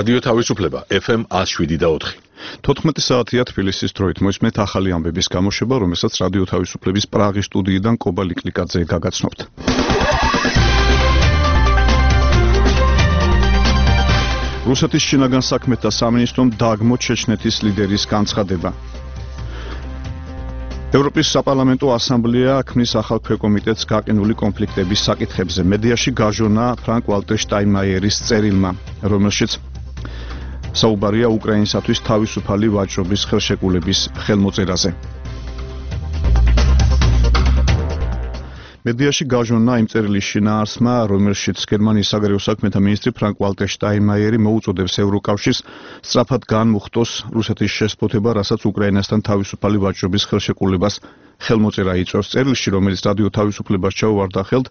რადიო თავისუფლება FM 107.4. 14 საათია თბილისის დროით მოისმენთ ახალი ამბების გამოშვება, რომელსაც რადიო თავისუფლების პრაღის სტუდიიდან კობა ლიკლიკაძე გაგაცნობთ. რუსეთის შინაგან საქმეთა სამინისტრომ დააგმო ჩეჩნეთის ლიდერის განცხადება. ევროპის საპარლამენტო ასამბლეა ქმნის ახალ ქვეკომიტეტს გაყინული კონფლიქტების საკითხებზე. მედიაში გაჟონა ფრანკ ვალტერ შტაინმაიერის წერილმა, რომელშიც საუბარია უკრაინისათვის თავისუფალი ვაჭრობის ხელშეკრულების ხელმოწერაზე. მედიაში გაჟონა იმ წერილის შინაარსმა, რომელშიც გერმანიის საგარეო საქმეთა მინისტრი ფრანკ ვალტერ შტაინმაიერი მოუწოდებს ევროკავშირს სწრაფად განმუხტოს რუსეთის შესწფოთება, რასაც უკრაინასთან თავისუფალი ვაჭრობის ხელშეკრულებას ხელმოწერა იწვევს. წერილში, რომელიც რადიო თავისუფლებას ჩაუვარდა ხელთ,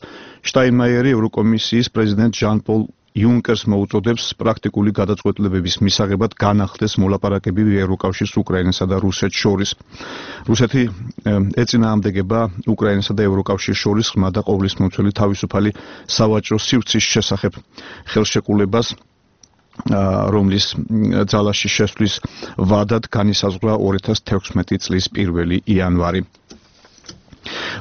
შტაინმაიერი ევროკომისიის პრეზიდენტ ჟან-პოლ იუნკერს მოუწოდებს პრაქტიკული გადაწყვეტილებების მისაღებად განახლდეს მოლაპარაკებები ევროკავშირის უკრაინასა და რუსეთს შორის. რუსეთი ეწინააღმდეგება უკრაინასა და ევროკავშირის შორის ღრმა და ყოვლისმომცველი თავისუფალი სავაჭრო სივრცის შესახებ ხელშეკრულებას, რომლის ძალაში შესვლის ვადად განისაზღვრა 2016 წლის 1 იანვარი.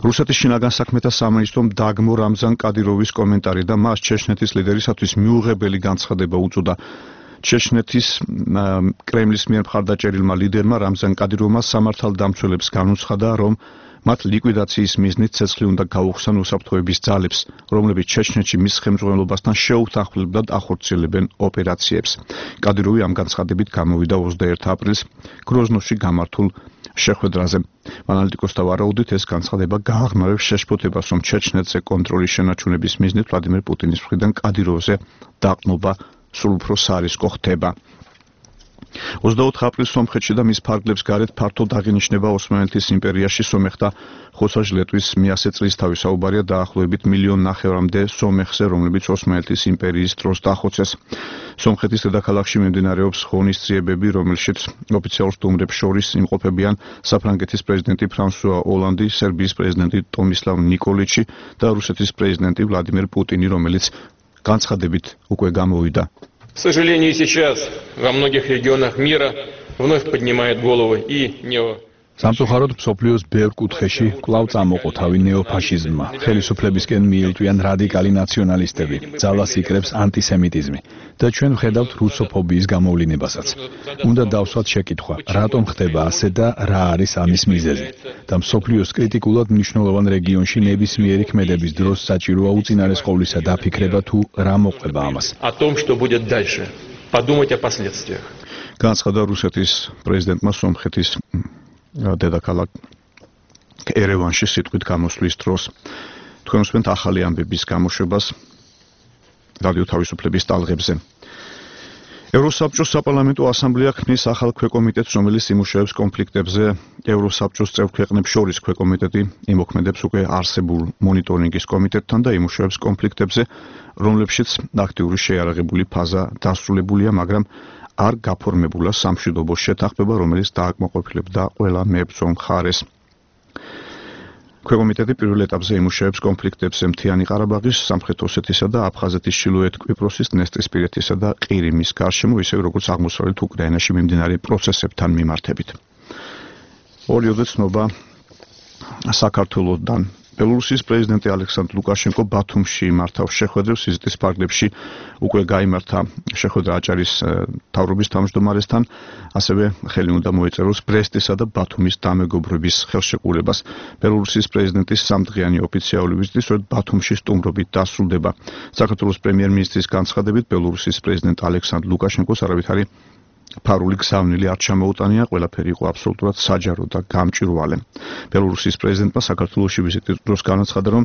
რუსეთის შინაგან საქმეთა სამინისტრომ დააგმო რამზან კადიროვის კომენტარი და მას ჩეჩნეთის ლიდერისათვის მიუღებელი განცხადება უწოდა. ჩეჩნეთის კრემლის მიერ მხარდაჭერილმა ლიდერმა რამზან კადიროვმა სამართალდამცველებს განუცხადა, რომ მათ ლიკვიდაციის მიზნით ცეცხლი უნდა გაუხსნან უსაფრთხოების ძალებს, რომლებიც ჩეჩნეთში მის ხელმძღვანელობასთან შეუთანხმებლად ახორციელებენ ოპერაციებს. კადიროვი ამ განცხადებით გამოვიდა 21 აპრილს გროზნოში გამართულ შეხვედრაზე. ანალიტიკოსთა ვარაუდით ეს განცხადება გააღრმავებს შეშფოთებას, რომ ჩეჩნეთზე კონტროლის შენარჩუნების მიზნით ვლადიმერ პუტინის მხრიდან კადიროვზე დაყრდნობა სულ უფრო სარისკო ხდება. 24 აპრილს სომხეთში და მის ფარგლებს გარეთ ფართოდ აღინიშნება ოსმალეთის იმპერიაში სომეხთა ხოსაჟლეტვის 100 წლისთავი. საუბარია დაახლოებით 1,5 მილიონამდე სომეხზე, რომლებიც ოსმალეთის იმპერიის დროს დახოცეს. სომხეთის დედაქალაქში მიმდინარეობს ღონისძიებები, რომელშიც ოფიციალურ სტუმრებს შორის იმყოფებიან საფრანგეთის პრეზიდენტი ფრანსუა ოლანდი, სერბიის პრეზიდენტი ტომისლავ ნიკოლიჩი და რუსეთის პრეზიდენტი ვლადიმერ პუტინი, რომელიც განცხადებით უკვე გამოვიდა. К сожалению, сейчас во многих регионах мира вновь поднимает головы и нео. სამწუხაროდ მსოფლიოს ბევრ კუთხეში კვლავ წამოყო თავი ნეოფაშიზმმა. ხელისუფლებისკენ მიილტვიან რადიკალი ნაციონალისტები, ძალას იკრებს ანტისემიტიზმი და ჩვენ ვხედავთ რუსოფობიის გამოვლინებასაც. უნდა დავსვათ შეკითხვა, რატომ ხდება ასე და რა არის ამის მიზეზი? და მსოფლიოს კრიტიკულად მნიშვნელოვან რეგიონში ნებისმიერი ქმედების დროს საჭიროა უწინარეს ყოვლისა დაფიქრება თუ რა მოყვება ამას. О том, что будет дальше. Подумать о последствиях. განცხადა რუსეთის პრეზიდენტმა სომხეთის დედაქალაქ ერევანში სიტყვით გამოსვლის დროს. თქვენ უსმენთ ახალი ამბების გამოშვებას რადიო თავისუფლების ტალღებზე. ევროსაბჭოს საპარლამენტო ასამბლეა ქმნის ახალ ქვეკომიტეტს, რომელიც იმუშავებს კონფლიქტებზე. ევროსაბჭოს წევრ ქვეყნებს შორის ქვეკომიტეტი იმოქმედებს უკვე არსებულ მონიტორინგის კომიტეტთან და იმუშავებს კონფლიქტებზე, რომლებშიც აქტიური შეიარაღებული ფაზა დასრულებულია, მაგრამ არ გაფორმებულა სამშვიდობო შეთანხმება, რომელიც დააკმაყოფილებდა ყველა მებრძოლ მხარეს. ქვეკომიტეტი პირველ ეტაპზე იმუშავებს კონფლიქტებზე მთიანი ყარაბაღის, სამხრეთ ოსეთის და აფხაზეთის, ჩრდილოეთ კვიპროსის, დნესტრისპირეთისა და ყირიმის გარშემო, ისევე როგორც აღმოსავლეთ უკრაინაში მიმდინარე პროცესებთან მიმართებით. ორიოდე ცნობა საქართველოსთან. ბელორუსიის პრეზიდენტი ალექსანდრ ლუკაშენკო ბათუმში მართავს შეხვედრებს, ვიზიტის ფარგლებში უკვე გაიმართა შეხვედრა აჭარის მთავრობის თავმჯდომარესთან, ასევე ხელი უნდა მოეწეროს ბრესტისა და ბათუმის დამეგობრების ხელშეკრულებას. ბელორუსიის პრეზიდენტის სამდღიანი ოფიციალური ვიზიტი სწორედ ბათუმში სტუმრობით დასრულდება. საქართველოს პრემიერ-მინისტრის განცხადებით, ბელორუსიის პრეზიდენტ ალექსანდრ ლუკაშენკოს არავითარი ფარული გზავნილი არ ჩამოუტანია, ყველაფერი იყო აბსოლუტურად საჯარო და გამჭვირვალე. ბელორუსიის პრეზიდენტმა საქართველოში ვიზიტის დროს განაცხადა, რომ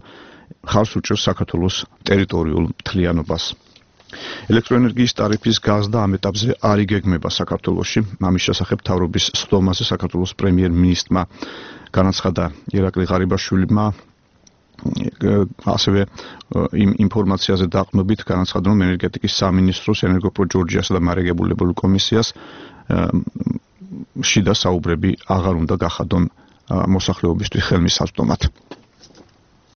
ხარს უჭერს საქართველოს ტერიტორიულ მთლიანობას. ელექტროენერგიის ტარიფის გაზრდა ამ ეტაპზე არ იგეგმება საქართველოში. ამის შესახებ მთავრობის სხდომაზე საქართველოს პრემიერ-მინისტრმა განაცხადა ირაკლი ღარიბაშვილმა, ასევე იმ ინფორმაციაზე დაყრდნობით განაცხადა, რომ ენერგეტიკის სამინისტროს ენერგოპრო ჯორჯიასა და მარეგებულებულ კომისიას შიდა საუბრები აღარ უნდა გახადონ მოსახლეობისთვის ხელმისაწვდომად.